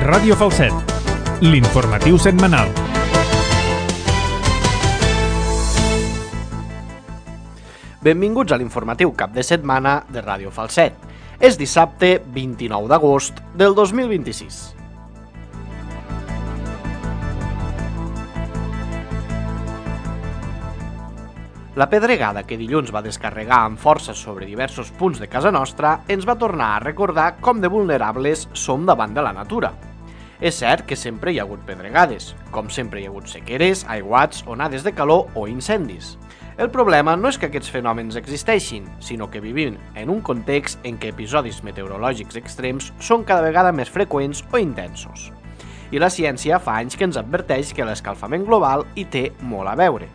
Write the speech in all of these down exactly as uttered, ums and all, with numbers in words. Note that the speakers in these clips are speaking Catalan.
Ràdio Falset, l'informatiu setmanal. Benvinguts a l'informatiu cap de setmana de Ràdio Falset. És dissabte vint-i-nou d'agost del dos mil vint-i-sis. La pedregada que dilluns va descarregar amb força sobre diversos punts de casa nostra ens va tornar a recordar com de vulnerables som davant de la natura. És cert que sempre hi ha hagut pedregades, com sempre hi ha hagut sequeres, aiguats, onades de calor o incendis. El problema no és que aquests fenòmens existeixin, sinó que vivim en un context en què episodis meteorològics extrems són cada vegada més freqüents o intensos. I la ciència fa anys que ens adverteix que l'escalfament global hi té molt a veure.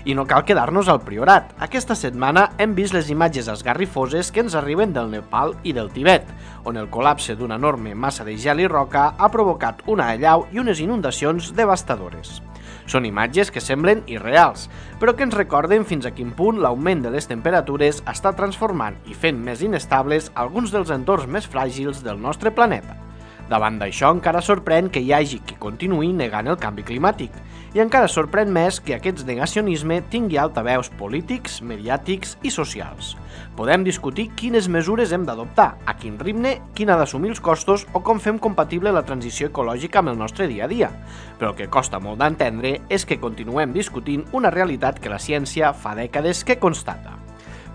I no cal quedar-nos al Priorat. Aquesta setmana hem vist les imatges esgarrifoses que ens arriben del Nepal i del Tibet, on el col·lapse d'una enorme massa de gel i roca ha provocat una allau i unes inundacions devastadores. Són imatges que semblen irreals, però que ens recorden fins a quin punt l'augment de les temperatures està transformant i fent més inestables alguns dels entorns més fràgils del nostre planeta. Davant d'això encara sorprèn que hi hagi qui continuï negant el canvi climàtic, i encara sorprèn més que aquest negacionisme tingui altaveus polítics, mediàtics i socials. Podem discutir quines mesures hem d'adoptar, a quin ritme, quin ha d'assumir els costos o com fem compatible la transició ecològica amb el nostre dia a dia, però el que costa molt d'entendre és que continuem discutint una realitat que la ciència fa dècades que constata.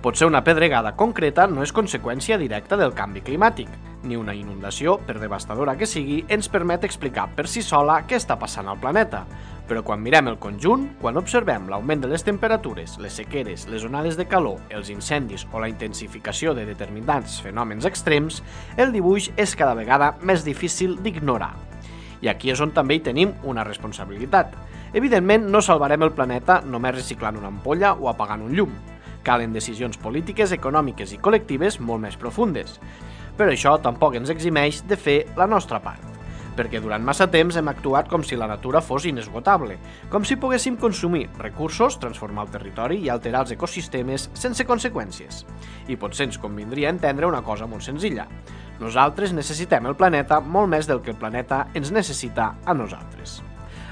Potser una pedregada concreta no és conseqüència directa del canvi climàtic, ni una inundació, per devastadora que sigui, ens permet explicar per si sola què està passant al planeta. Però quan mirem el conjunt, quan observem l'augment de les temperatures, les sequeres, les onades de calor, els incendis o la intensificació de determinats fenòmens extrems, el dibuix és cada vegada més difícil d'ignorar. I aquí és on també hi tenim una responsabilitat. Evidentment, no salvarem el planeta només reciclant una ampolla o apagant un llum. Calen decisions polítiques, econòmiques i col·lectives molt més profundes. Però això tampoc ens eximeix de fer la nostra part, perquè durant massa temps hem actuat com si la natura fos inesgotable, com si poguéssim consumir recursos, transformar el territori i alterar els ecosistemes sense conseqüències. I potser ens convindria entendre una cosa molt senzilla. Nosaltres necessitem el planeta molt més del que el planeta ens necessita a nosaltres.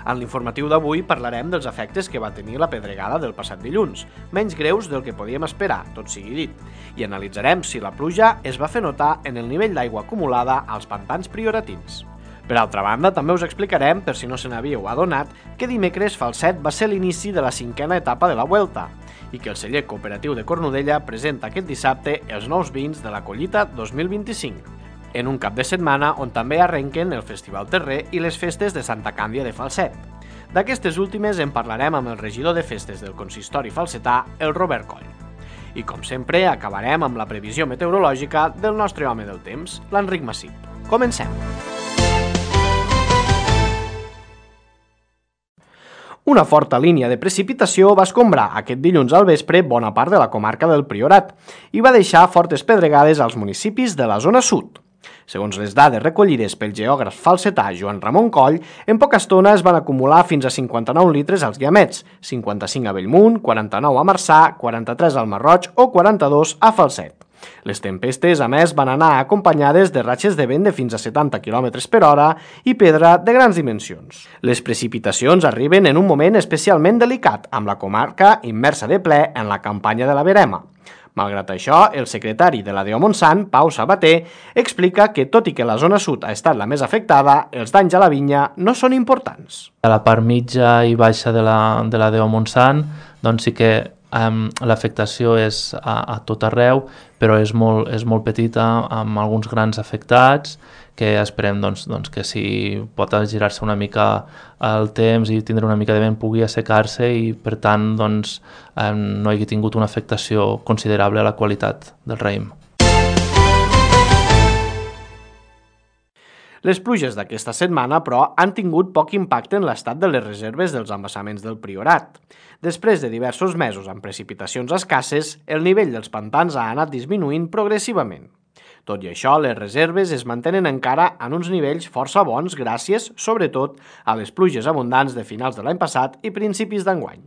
En l'informatiu d'avui parlarem dels efectes que va tenir la pedregada del passat dilluns, menys greus del que podíem esperar, tot sigui dit, i analitzarem si la pluja es va fer notar en el nivell d'aigua acumulada als pantans prioratins. Per altra banda, també us explicarem, per si no se n'havíeu adonat, que dimecres Falset va ser l'inici de la cinquena etapa de la Vuelta i que el celler cooperatiu de Cornudella presenta aquest dissabte els nous vins de la collita dos mil vint-i-cinc. En un cap de setmana on també arrenquen el Festival Terrer i les festes de Santa Càndia de Falset. D'aquestes últimes en parlarem amb el regidor de festes del consistori falsetà, el Robert Coll. I com sempre acabarem amb la previsió meteorològica del nostre home del temps, l'Enric Massip. Comencem! Una forta línia de precipitació va escombrar aquest dilluns al vespre bona part de la comarca del Priorat i va deixar fortes pedregades als municipis de la zona sud. Segons les dades recollides pel geògraf falsetà Joan Ramon Coll, en poca estona es van acumular fins a cinquanta-nou litres als Guiamets, cinquanta-cinc a Bellmunt, quaranta-nou a Marçà, quaranta-tres al Marroig o quaranta-dos a Falset. Les tempestes, a més, van anar acompanyades de ratxes de vent de fins a setanta quilòmetres per hora i pedra de grans dimensions. Les precipitacions arriben en un moment especialment delicat, amb la comarca immersa de ple en la campanya de la verema. Malgrat això, el secretari de la D O Montsant, Pau Sabater, explica que, tot i que la zona sud ha estat la més afectada, els danys a la vinya no són importants. A la part mitja i baixa de la, de la D O Montsant, doncs sí que um, l'afectació és a, a tot arreu, però és molt, és molt petita, amb alguns grans afectats, que esperem doncs, doncs, que si pot girar-se una mica el temps i tindre una mica de vent pugui assecar-se i per tant doncs, eh, no hagi tingut una afectació considerable a la qualitat del raïm. Les pluges d'aquesta setmana, però, han tingut poc impacte en l'estat de les reserves dels embassaments del Priorat. Després de diversos mesos amb precipitacions escasses, el nivell dels pantans ha anat disminuint progressivament. Tot i això, les reserves es mantenen encara en uns nivells força bons gràcies, sobretot, a les pluges abundants de finals de l'any passat i principis d'enguany.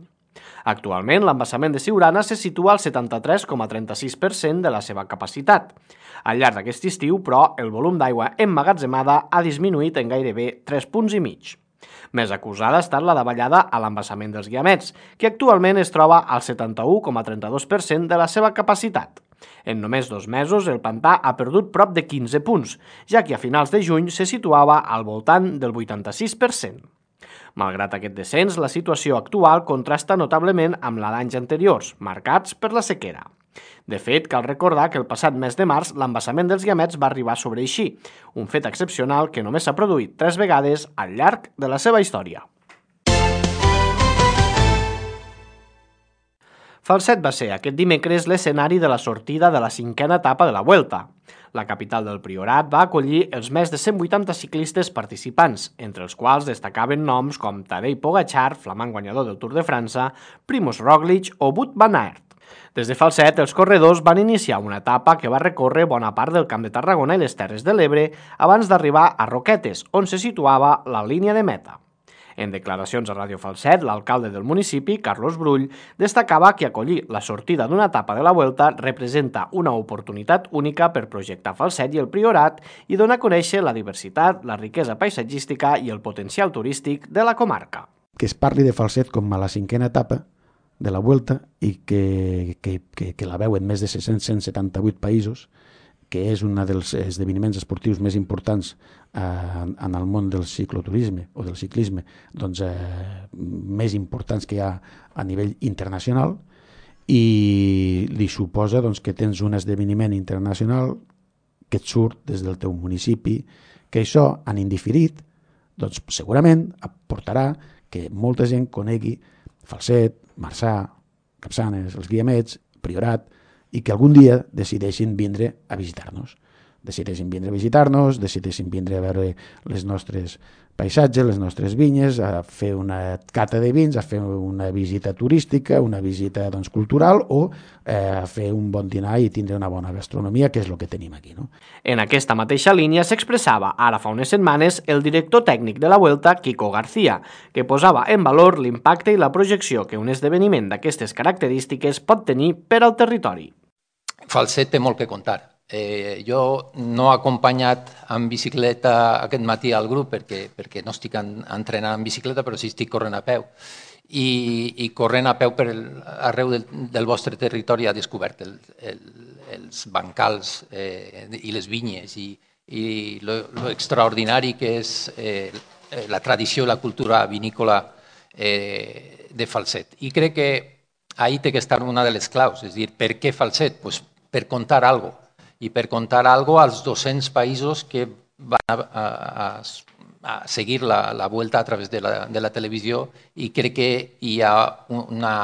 Actualment, l'embassament de Siurana se situa al setanta-tres coma trenta-sis per cent de la seva capacitat. Al llarg d'aquest estiu, però, el volum d'aigua emmagatzemada ha disminuït en gairebé tres punts i mig. Més acusada ha estat la davallada a l'embassament dels Guiamets, que actualment es troba al setanta-u coma trenta-dos per cent de la seva capacitat. En només dos mesos, el pantà ha perdut prop de quinze punts, ja que a finals de juny se situava al voltant del vuitanta-sis per cent. Malgrat aquest descens, la situació actual contrasta notablement amb la d'anys anteriors, marcats per la sequera. De fet, cal recordar que el passat mes de març l'embassament dels Guiamets va arribar a sobreeixir, un fet excepcional que només s'ha produït tres vegades al llarg de la seva història. Falset va ser aquest dimecres l'escenari de la sortida de la cinquena etapa de la Vuelta. La capital del Priorat va acollir els més de cent vuitanta ciclistes participants, entre els quals destacaven noms com Tadej Pogačar, flamant guanyador del Tour de França, Primož Roglič o Wout van Aert. Des de Falset, els corredors van iniciar una etapa que va recórrer bona part del Camp de Tarragona i les Terres de l'Ebre abans d'arribar a Roquetes, on se situava la línia de meta. En declaracions a Ràdio Falset, l'alcalde del municipi, Carlos Brull, destacava que acollir la sortida d'una etapa de la Vuelta representa una oportunitat única per projectar Falset i el Priorat i donar a conèixer la diversitat, la riquesa paisatgística i el potencial turístic de la comarca. Que es parli de Falset com a la cinquena etapa de la Vuelta i que, que, que, que la veuen més de cent setanta-vuit països, que és un dels esdeveniments esportius més importants eh, en el món del cicloturisme o del ciclisme, doncs, eh, més importants que hi ha a nivell internacional, i li suposa doncs, que tens un esdeveniment internacional que et surt des del teu municipi, que això, en indiferit, doncs, segurament aportarà que molta gent conegui Falset, Marçà, Capçanes, els Guiamets, Priorat, i que algun dia decideixin vindre a visitar-nos. Decideixin vindre a visitar-nos, decideixin vindre a veure les nostres paisatges, les nostres vinyes, a fer una cata de vins, a fer una visita turística, una visita doncs, cultural o eh, a fer un bon dinar i tindre una bona gastronomia, que és el que tenim aquí. No? En aquesta mateixa línia s'expressava ara fa unes setmanes el director tècnic de la Vuelta, Quico García, que posava en valor l'impacte i la projecció que un esdeveniment d'aquestes característiques pot tenir per al territori. Falset té molt que contar. Eh, jo no he acompanyat en bicicleta aquest matí al grup perquè, perquè no estic en, entrenant en bicicleta, però sí estic corrent a peu. I, i corrent a peu per el, arreu del, del vostre territori ha descobert el, el, els bancals eh, i les vinyes i, i lo, lo extraordinari que és eh, la tradició i la cultura vinícola eh, de Falset. I crec que ahí té que estar una de les claus, és a dir, per què Falset? Pues per contar alguna cosa. I per contar alguna cosa als dos-cents països que van a, a, a seguir la, la Vuelta a través de la, de la televisió, i crec que hi ha una,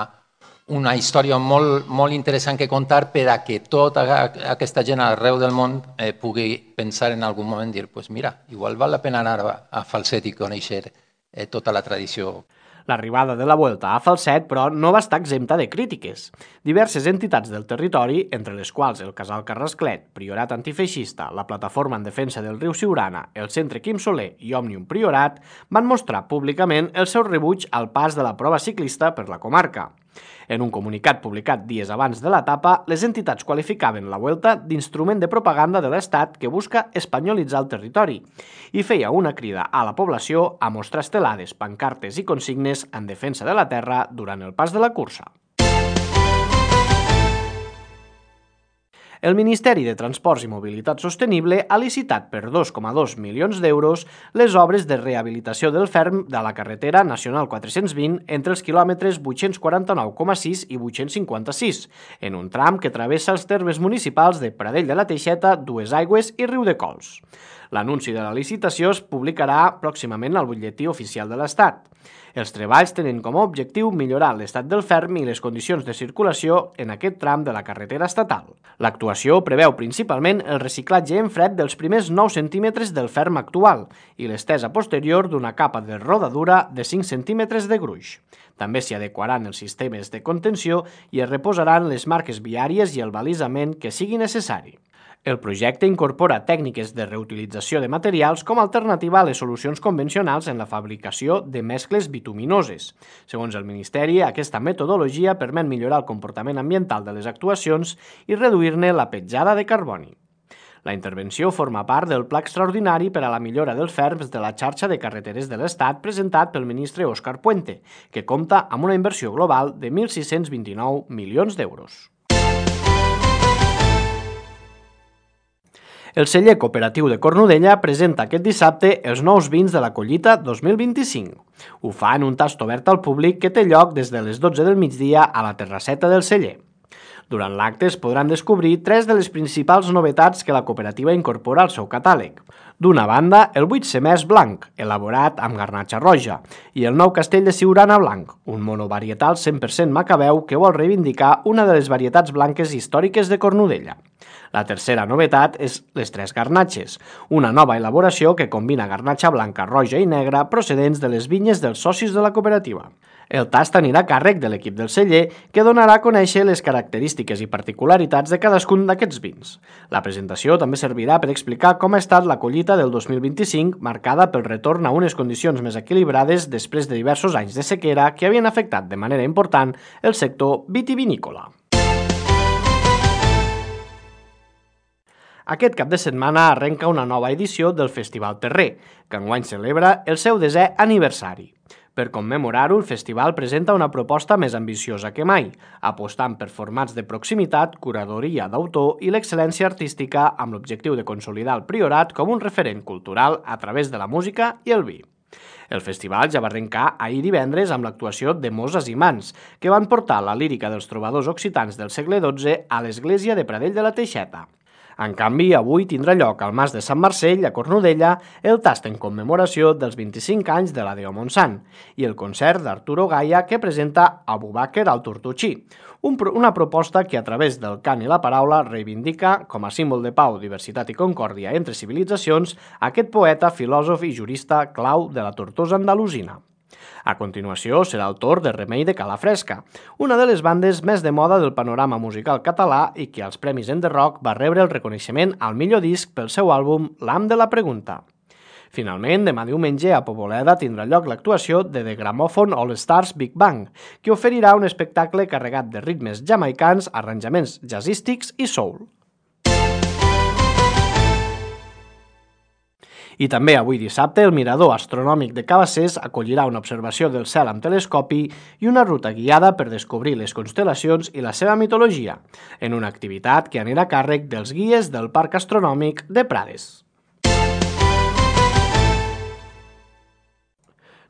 una història molt, molt interessant que contar per a que tota aquesta gent arreu del món eh, pugui pensar en algun moment i dir, pues mira, igual val la pena anar a, a Falset i conèixer eh, tota la tradició. L'arribada de la Vuelta a Falset, però, no va estar exempta de crítiques. Diverses entitats del territori, entre les quals el Casal Carrasclet, Priorat Antifeixista, la Plataforma en Defensa del Riu Siurana, el Centre Quim Soler i Òmnium Priorat, van mostrar públicament el seu rebuig al pas de la prova ciclista per la comarca. En un comunicat publicat dies abans de l'etapa, les entitats qualificaven la Vuelta d'instrument de propaganda de l'Estat que busca espanyolitzar el territori i feia una crida a la població a mostrar estelades, pancartes i consignes en defensa de la terra durant el pas de la cursa. El Ministeri de Transports i Mobilitat Sostenible ha licitat per dos coma dos milions d'euros les obres de rehabilitació del ferm de la carretera nacional quatre-cents vint entre els quilòmetres vuit-cents quaranta-nou coma sis i vuit-cents cinquanta-sis, en un tram que travessa els termes municipals de Pradell de la Teixeta, Duesaigües i Riudecols. L'anunci de la licitació es publicarà pròximament al butlletí oficial de l'Estat. Els treballs tenen com a objectiu millorar l'estat del ferm i les condicions de circulació en aquest tram de la carretera estatal. L'actuació preveu principalment el reciclatge en fred dels primers nou centímetres del ferm actual i l'estesa posterior d'una capa de rodadura de cinc centímetres de gruix. També s'hi adequaran els sistemes de contenció i es reposaran les marques viàries i el balisament que sigui necessari. El projecte incorpora tècniques de reutilització de materials com a alternativa a les solucions convencionals en la fabricació de mescles bituminoses. Segons el Ministeri, aquesta metodologia permet millorar el comportament ambiental de les actuacions i reduir-ne la petjada de carboni. La intervenció forma part del Pla Extraordinari per a la millora dels ferms de la xarxa de carreteres de l'Estat presentat pel ministre Òscar Puente, que compta amb una inversió global de mil sis-cents vint-i-nou milions d'euros. El celler cooperatiu de Cornudella presenta aquest dissabte els nous vins de la collita dos mil vint-i-cinc. Ho fa en un tast obert al públic que té lloc des de les dotze del migdia a la terrasseta del celler. Durant l'acte es podran descobrir tres de les principals novetats que la cooperativa incorpora al seu catàleg. D'una banda, el buit semès blanc, elaborat amb garnatxa roja, i el nou castell de Siurana blanc, un monovarietal cent per cent macabeu que vol reivindicar una de les varietats blanques històriques de Cornudella. La tercera novetat és les tres garnatxes, una nova elaboració que combina garnatxa blanca, roja i negra procedents de les vinyes dels socis de la cooperativa. El tast anirà a càrrec de l'equip del celler, que donarà a conèixer les característiques i particularitats de cadascun d'aquests vins. La presentació també servirà per explicar com ha estat la collita del dos mil vint-i-cinc, marcada pel retorn a unes condicions més equilibrades després de diversos anys de sequera que havien afectat de manera important el sector vitivinícola. Aquest cap de setmana arrenca una nova edició del Festival Terrer, que enguany celebra el seu desè aniversari. Per commemorar-ho, el festival presenta una proposta més ambiciosa que mai, apostant per formats de proximitat, curadoria d'autor i l'excel·lència artística amb l'objectiu de consolidar el Priorat com un referent cultural a través de la música i el vi. El festival ja va arrencar ahir divendres amb l'actuació de Moses i Mans, que van portar la lírica dels trobadors occitans del segle dotze a l'església de Pradell de la Teixeta. En canvi, avui tindrà lloc al Mas de Sant Marcell, a Cornudella, el tast en commemoració dels vint-i-cinc anys de la Deo Montsant i el concert d'Arturo Gaia que presenta Abu Bakr al Tortutxí, un, una proposta que a través del cant i la paraula reivindica, com a símbol de pau, diversitat i concòrdia entre civilitzacions, aquest poeta, filòsof i jurista clau de la Tortosa andalusina. A continuació serà el torn de Remei de Calafresca, una de les bandes més de moda del panorama musical català i que als Premis Enderrock va rebre el reconeixement al millor disc pel seu àlbum L'Am de la Pregunta. Finalment, demà diumenge a Poboleda tindrà lloc l'actuació de The Gramophone All Stars Big Bang, que oferirà un espectacle carregat de ritmes jamaicans, arranjaments jazzístics i soul. I també avui dissabte el Mirador Astronòmic de Cabassers acollirà una observació del cel amb telescopi i una ruta guiada per descobrir les constel·lacions i la seva mitologia, en una activitat que anirà a càrrec dels guies del Parc Astronòmic de Prades.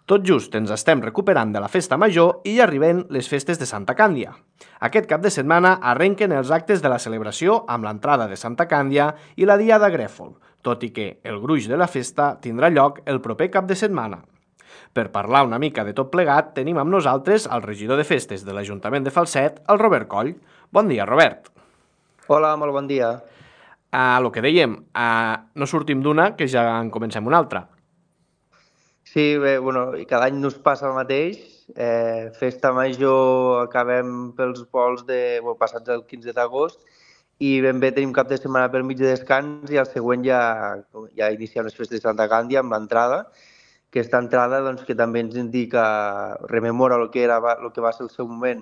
Tot just ens estem recuperant de la festa major i ja arriben les festes de Santa Càndia. Aquest cap de setmana arrenquen els actes de la celebració amb l'entrada de Santa Càndia i la Diada Grèfol, tot i que el gruix de la festa tindrà lloc el proper cap de setmana. Per parlar una mica de tot plegat, tenim amb nosaltres el regidor de festes de l'Ajuntament de Falset, el Robert Coll. Bon dia, Robert. Hola, molt bon dia. A lo que dèiem, a... no sortim d'una que ja en comencem una altra. Sí, bé, bueno, cada any nos passa el mateix. Eh, festa major acabem pels vols de, bueno, passats el quinze d'agost i ben bé tenim cap de setmana pel mig de descans i el següent ja, ja iniciem les festes de Santa Càndia amb l'entrada. Aquesta entrada doncs, que també ens indica, rememora el que, era, el que va ser el seu moment,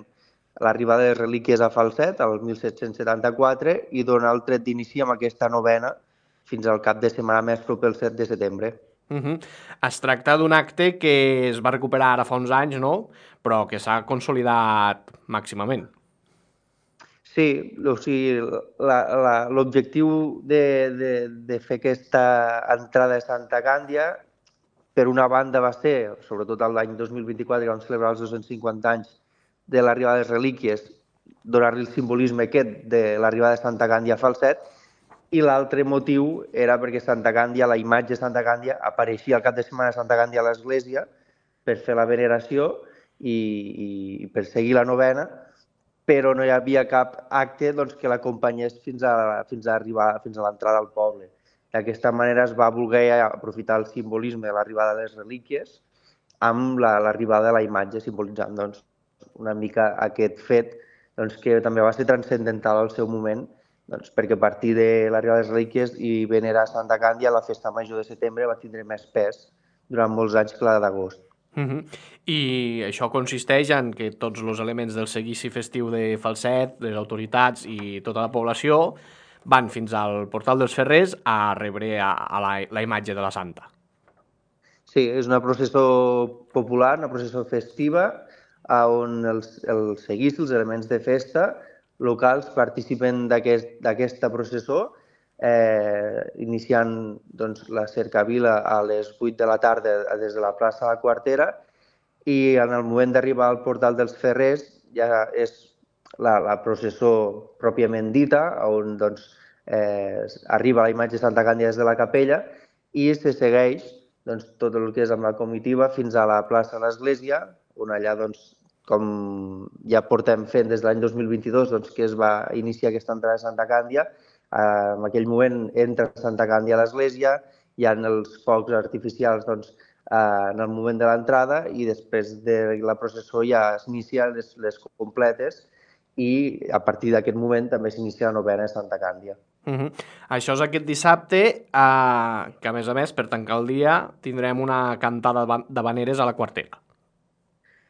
l'arribada de les relíquies a Falset, el mil set-cents setanta-quatre, i dona el tret d'inici amb aquesta novena fins al cap de setmana més proper el set de setembre. Uh -huh. Es tracta d'un acte que es va recuperar ara fa uns anys, no? Però que s'ha consolidat màximament. Sí, o sigui, l'objectiu de, de, de fer aquesta entrada de Santa Càndia, per una banda va ser, sobretot l'any dos mil vint-i-quatre, que vam celebrar els dos-cents cinquanta anys de l'arribada de les relíquies, donar-li el simbolisme aquest de l'arribada de Santa Càndia a Falset, i l'altre motiu era perquè Santa Càndia, la imatge de Santa Càndia, apareixia al cap de setmana de Santa Càndia a l'església per fer la veneració i, i per seguir la novena, però no hi havia cap acte doncs, que l'acompanyés fins a, fins a arribar fins a l'entrada al poble. D'aquesta manera es va voler aprofitar el simbolisme de l'arribada de les relíquies amb l'arribada la, de la imatge, simbolitzant doncs, una mica aquest fet doncs, que també va ser transcendental al seu moment doncs, perquè a partir de l'arribada de les relíquies i venerar Santa Càndia, la festa major de setembre va tindre més pes durant molts anys que la d'agost. Uh -huh. I això consisteix en que tots els elements del seguici festiu de Falset, les autoritats i tota la població van fins al portal dels Ferrers a rebre a, a la, la imatge de la Santa. Sí, és una processó popular, una processó festiva, on els, els seguicis, els elements de festa locals participen d'aquesta aquest, processó, eh, iniciant doncs, la cercavila a les vuit de la tarda des de la plaça de la Quartera, i en el moment d'arribar al portal dels Ferrers ja és la, la processó pròpiament dita, on doncs, eh, arriba la imatge de Santa Càndia des de la capella i se segueix doncs, tot el que és amb la comitiva fins a la plaça de l'Església, on allà, doncs, com ja portem fent des de l'any dos mil vint-i-dos, doncs, que es va iniciar aquesta entrada de Santa Càndia. Eh, en aquell moment entra Santa Càndia a l'església, hi ha els focs artificials doncs, eh, en el moment de l'entrada i després de la processó ja s'inicien les, les completes i a partir d'aquest moment també s'inicia la novena de Santa Càndia. Uh -huh. Això és aquest dissabte, eh, que a més a més, per tancar el dia, tindrem una cantada d'havaneres a la Quartera.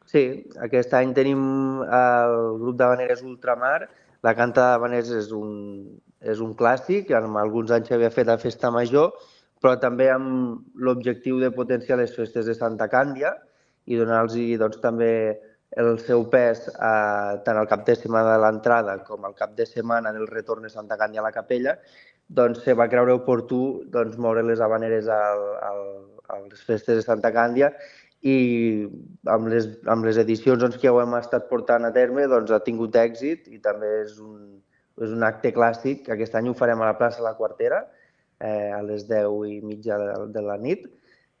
Sí, aquest any tenim el grup d'havaneres Ultramar. La cantada d'havaneres és un, és un clàssic, en alguns anys s'havia fet a Festa Major, però també amb l'objectiu de potenciar les festes de Santa Càndia i donar-los doncs, també el seu pes eh, tant al cap de setmana de l'entrada com al cap de setmana del retorn de Santa Càndia a la capella, doncs se va creure oportú doncs, moure les havaneres al, al, a les festes de Santa Càndia i amb les, amb les edicions doncs, que ho hem estat portant a terme doncs, ha tingut èxit i també és un, és un acte clàssic. Aquest any ho farem a la plaça de la Quartera eh, a les deu i mitja de, de la nit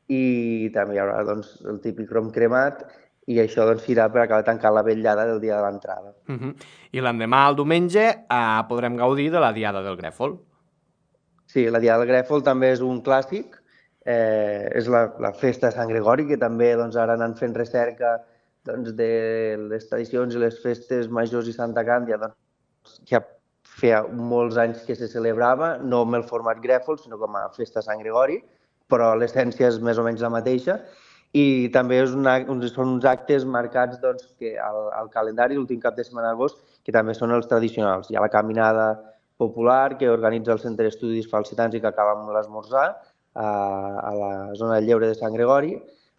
i també hi haurà doncs, el típic rom cremat i això doncs, serà per acabar tancant la vetllada del dia de l'entrada. Uh -huh. I l'endemà, el diumenge, eh, podrem gaudir de la Diada del Grèfol. Sí, la Diada del Grèfol també és un clàssic. Eh, és la, la festa de Sant Gregori, que també doncs, ara anant fent recerca doncs, de les tradicions i les festes majors i Santa Càndia, doncs, ja feia molts anys que se celebrava, no amb el format Grèfol, sinó com a festa de Sant Gregori, però l'essència és més o menys la mateixa. I també és una, són uns actes marcats doncs, que al, al calendari, l'últim cap de setmana d'agost, que també són els tradicionals. Hi ha la caminada popular que organitza el Centre d'Estudis Falsetans i que acaba amb l'esmorzar, a la zona del Lleure de Sant Gregori.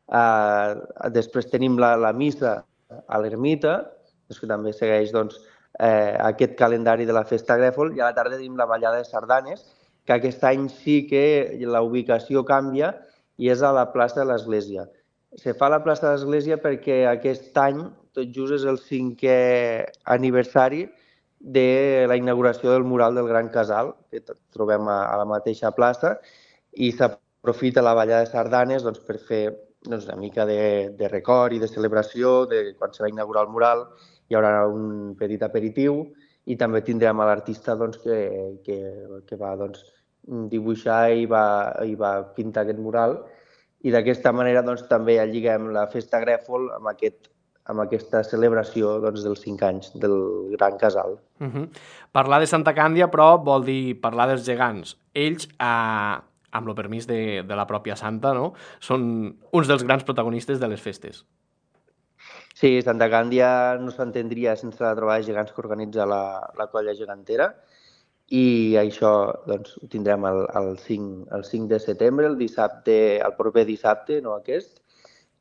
Uh, després tenim la, la missa a l'ermita, que també segueix doncs, eh, aquest calendari de la festa Grèfol, i a la tarda tenim la ballada de sardanes, que aquest any sí que la ubicació canvia i és a la plaça de l'Església. Se fa a la plaça de l'Església perquè aquest any, tot just és el cinquè aniversari de la inauguració del mural del Gran Casal, que trobem a, a la mateixa plaça, i s'aprofita la ballada de sardanes doncs, per fer doncs, una mica de, de record i de celebració de quan se va inaugurar el mural. Hi haurà un petit aperitiu i també tindrem a l'artista doncs, que, que, que va doncs, dibuixar i va, i va pintar aquest mural. I d'aquesta manera doncs, també lliguem la festa Grèfol amb, aquest, amb aquesta celebració doncs, dels cinc anys del Gran Casal. Uh -huh. Parlar de Santa Càndia, però, vol dir parlar dels gegants. Ells, eh, amb el permís de, de la pròpia Santa, no? Són uns dels grans protagonistes de les festes. Sí, Santa Càndia no s'entendria sense la trobada de gegants que organitza la, la colla gegantera i això doncs, ho tindrem el, el, cinc, el cinc de setembre, el dissabte, el proper dissabte, no aquest.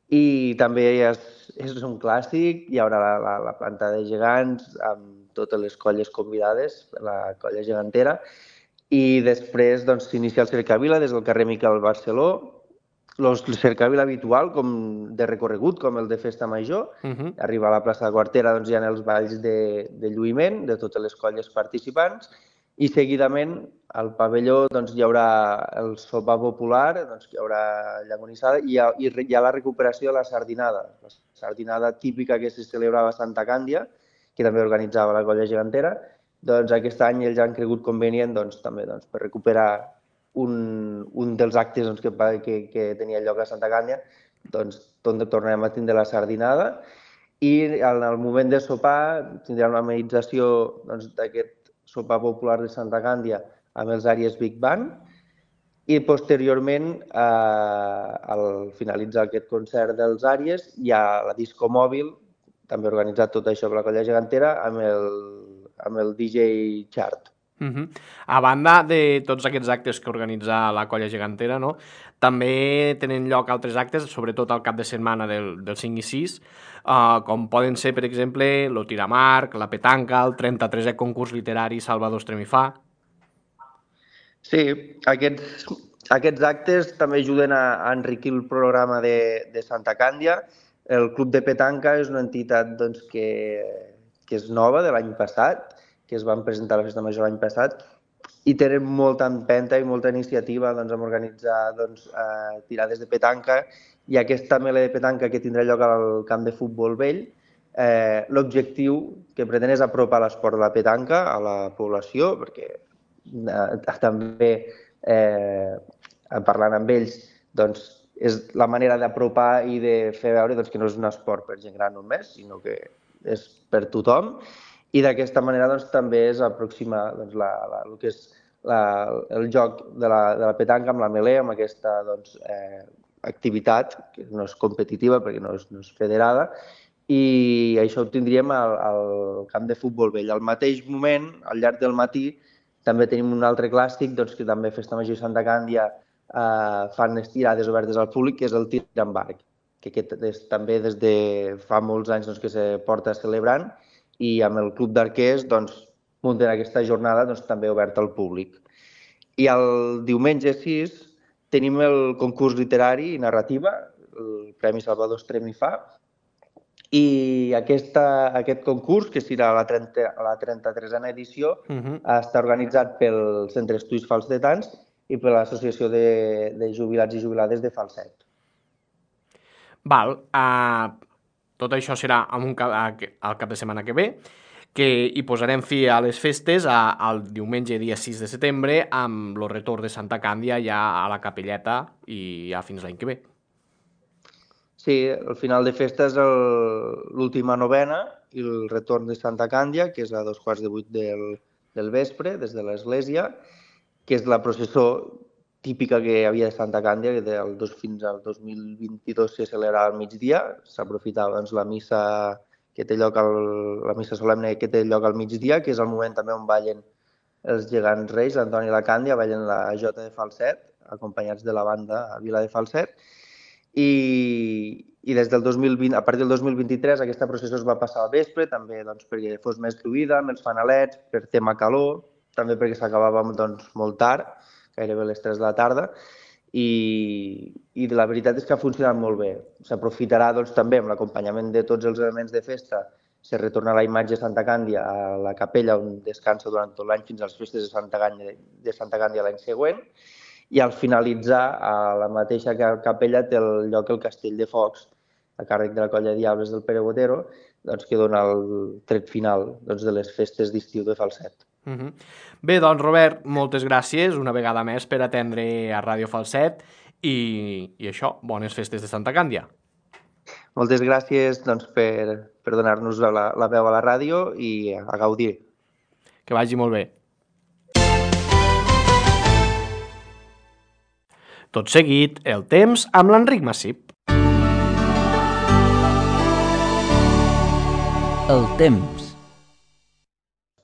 I també és, és un clàssic, hi haurà la, la, la planta de gegants amb totes les colles convidades, la colla gegantera, i després doncs, s'inicia el cercavila des del carrer Miquel Barceló, el cercavila habitual com de recorregut, com el de Festa Major. Uh -huh. Arriba a la plaça de Quartera, doncs, hi ha els balls de, de lluïment de totes les colles participants i seguidament al pavelló doncs, hi haurà el sopar popular, doncs, hi haurà llagonissada i hi, ha, i hi ha la recuperació de la sardinada, la sardinada típica que se celebrava a Santa Càndia, que també organitzava la colla gegantera. Doncs aquest any ells han cregut convenient doncs, també doncs, per recuperar un, un dels actes doncs, que, que, que tenia lloc a Santa Càndia, doncs tornarem a tindre la sardinada i en el moment de sopar tindrem una amenització doncs, d'aquest sopar popular de Santa Càndia amb els Àries Big Band, i posteriorment, eh, al finalitzar aquest concert dels Àries, hi ha la disco mòbil, també organitzat tot això per la Colla Gegantera, amb el, amb el D J Chart. Uh-huh. A banda de tots aquests actes que organitza la Colla Gegantera, no? També tenen lloc altres actes, sobretot al cap de setmana del, del cinc i sis, uh, com poden ser, per exemple, lo tiramarc, la petanca, el trenta-tresè concurs literari Salvador Estremifà. Sí, aquests, aquests actes també ajuden a, a enriquir el programa de, de Santa Càndia. El Club de Petanca és una entitat doncs, que, que és nova de l'any passat, que es van presentar a la Festa Major l'any passat, i tenen molta empenta i molta iniciativa doncs, en organitzar doncs, eh, tirades de petanca, i aquesta mele de petanca que tindrà lloc al camp de futbol vell, eh, l'objectiu que pretén és apropar l'esport de la petanca a la població, perquè eh, també eh, parlant amb ells doncs, és la manera d'apropar i de fer veure doncs, que no és un esport per gent gran només, sinó que és per tothom. I d'aquesta manera doncs, també es aproxima doncs, la, la, el que és la, el joc de la, de la petanca amb la melé, amb aquesta doncs, eh, activitat, que no és competitiva perquè no és, no és federada, i això ho tindríem al, al camp de futbol vell. Al mateix moment, al llarg del matí, també tenim un altre clàssic doncs, que també Festa Major i Santa Càndia eh, fan les tirades obertes al públic, que és el tir amb arc, que aquest és, també des de fa molts anys doncs, que se porta celebrant, i amb el Club d'Arquers doncs, munten aquesta jornada doncs, també oberta al públic. I el diumenge sis tenim el concurs literari i narrativa, el Premi Salvador Estremifà, i aquesta, aquest concurs, que serà la, la trenta-tresena edició, uh-huh. està organitzat pel Centre Estudis Falsetans i per l'Associació de, de Jubilats i Jubilades de Falset. Val, uh... tot això serà en un cap, al cap de setmana que ve, que hi posarem fi a les festes a, al diumenge dia sis de setembre amb el retorn de Santa Càndia ja a la capelleta i ja fins l'any que ve. Sí, el final de festa és l'última novena i el retorn de Santa Càndia, que és a dos quarts de vuit del, del vespre, des de l'església, que és la processó típica que hi havia de Santa Càndia, que del dos, fins al dos mil vint-i-dos se celebrava al migdia, s'aprofitava doncs, la missa que té lloc al, la missa solemne que té lloc al migdia, que és el moment també on ballen els gegants reis, l'Antoni i la Càndia, ballen la Jota de Falset, acompanyats de la banda a Vila de Falset, i, i des del dos mil vint, a partir del dos mil vint-i-tres aquesta processó es va passar al vespre, també doncs, perquè fos més fluida, amb els fanalets, per tema calor, també perquè s'acabava doncs, molt tard, gairebé a les tres de la tarda, i, i la veritat és que ha funcionat molt bé. S'aprofitarà doncs, també amb l'acompanyament de tots els elements de festa, se retorna la imatge de Santa Càndia a la capella on descansa durant tot l'any fins a les festes de Santa Càndia, de Santa Càndia l'any següent, i al finalitzar a la mateixa capella té el lloc el Castell de Focs, a càrrec de la Colla de Diables del Pere Botero, doncs, que dona el tret final doncs, de les festes d'estiu de Falset. Uh-huh. Bé, doncs Robert, moltes gràcies una vegada més per atendre a Ràdio Falset i, i això, bones festes de Santa Càndia. Moltes gràcies doncs, per, per donar-nos la, la veu a la ràdio i a gaudir. Que vagi molt bé. Tot seguit, el temps amb l'Enric Massip. El temps.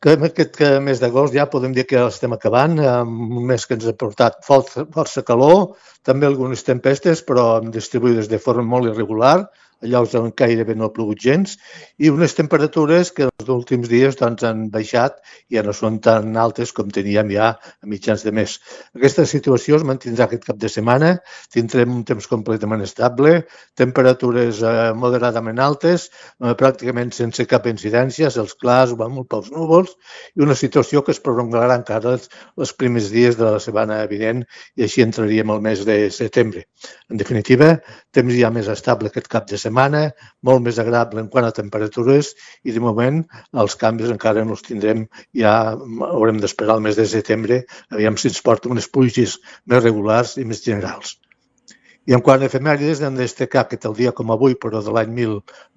Que en aquest mes d'agost ja podem dir que estem acabant, un mes que ens ha portat força, força calor, també algunes tempestes, però distribuïdes de forma molt irregular, a llocs on gairebé no ha plogut gens, i unes temperatures que els últims dies doncs, han baixat i ja no són tan altes com teníem ja a mitjans de mes. Aquesta situació es mantindrà aquest cap de setmana, tindrem un temps completament estable, temperatures eh, moderadament altes, eh, pràcticament sense cap incidència, els clars van molt pels núvols, i una situació que es prolongarà encara els, els primers dies de la setmana vinent i així entraríem al mes de setembre. En definitiva, temps ja més estable aquest cap de setmana, molt més agradable en quant a temperatures i de moment els canvis encara no els tindrem, ja haurem d'esperar el mes de setembre, aviam si ens porta unes pluges més regulars i més generals. I en quant a efemèrides, hem de destacar que tal dia com avui, però de l'any mil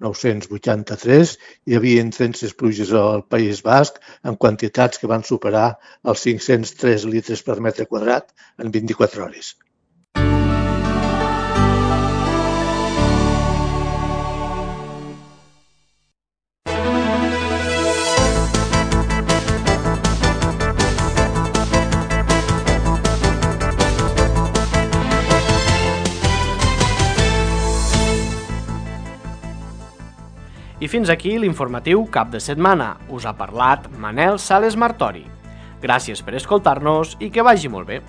nou-cents vuitanta-tres, hi havia intenses pluges al País Basc en quantitats que van superar els cinc-cents tres litres per metre quadrat en vint-i-quatre hores. I fins aquí l'informatiu cap de setmana. Us ha parlat Manel Sales Martori. Gràcies per escoltar-nos i que vagi molt bé.